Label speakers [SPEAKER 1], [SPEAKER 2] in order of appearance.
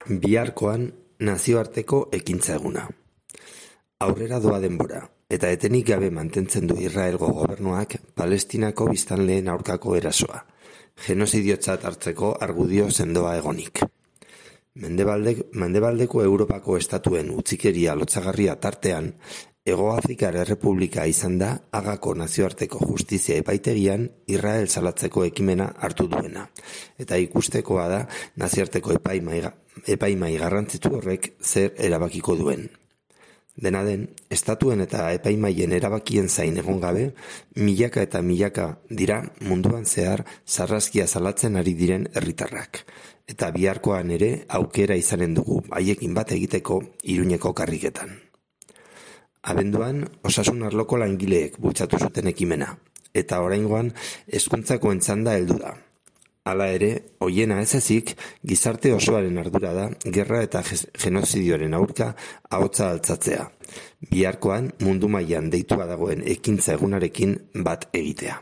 [SPEAKER 1] Biharkoan nazioarteko ekintza eguna. Aurrera doa denbora, eta etenik gabe mantentzen du Israelgo gobernuak Palestinako biztanleen aurkako erasoa, genozidiotzat hartzeko argudio sendoa egonik. Mendebaldeko Europako estatuen utzikeria lotsagarria tartean, Hego Afrikar Errepublika izan da Hagako nazioarteko justizia epaitegian Israel salatzeko ekimena hartu duena, eta ikustekoa da nazioarteko epaimai garrantzitu horrek zer erabakiko duen. Dena den, estatuen eta epaimaien erabakien zain egon gabe, milaka eta milaka dira munduan zehar sarraskia salatzen ari diren herritarrak, eta biharkoan ere aukera izanen dugu haiekin bat egiteko Iruñeko karriketan. Abenduan, osasun arloko langileek bultzatu zuten ekimena, eta oraingoan hezkuntzako entzanda heldu da. Hala ere, hoiena ez ezik, gizarte osoaren ardura da gerra eta genozidioaren aurka ahotsa altzatzea. Biharkoan mundu mailan deitua dagoen ekintza egunarekin bat egitea.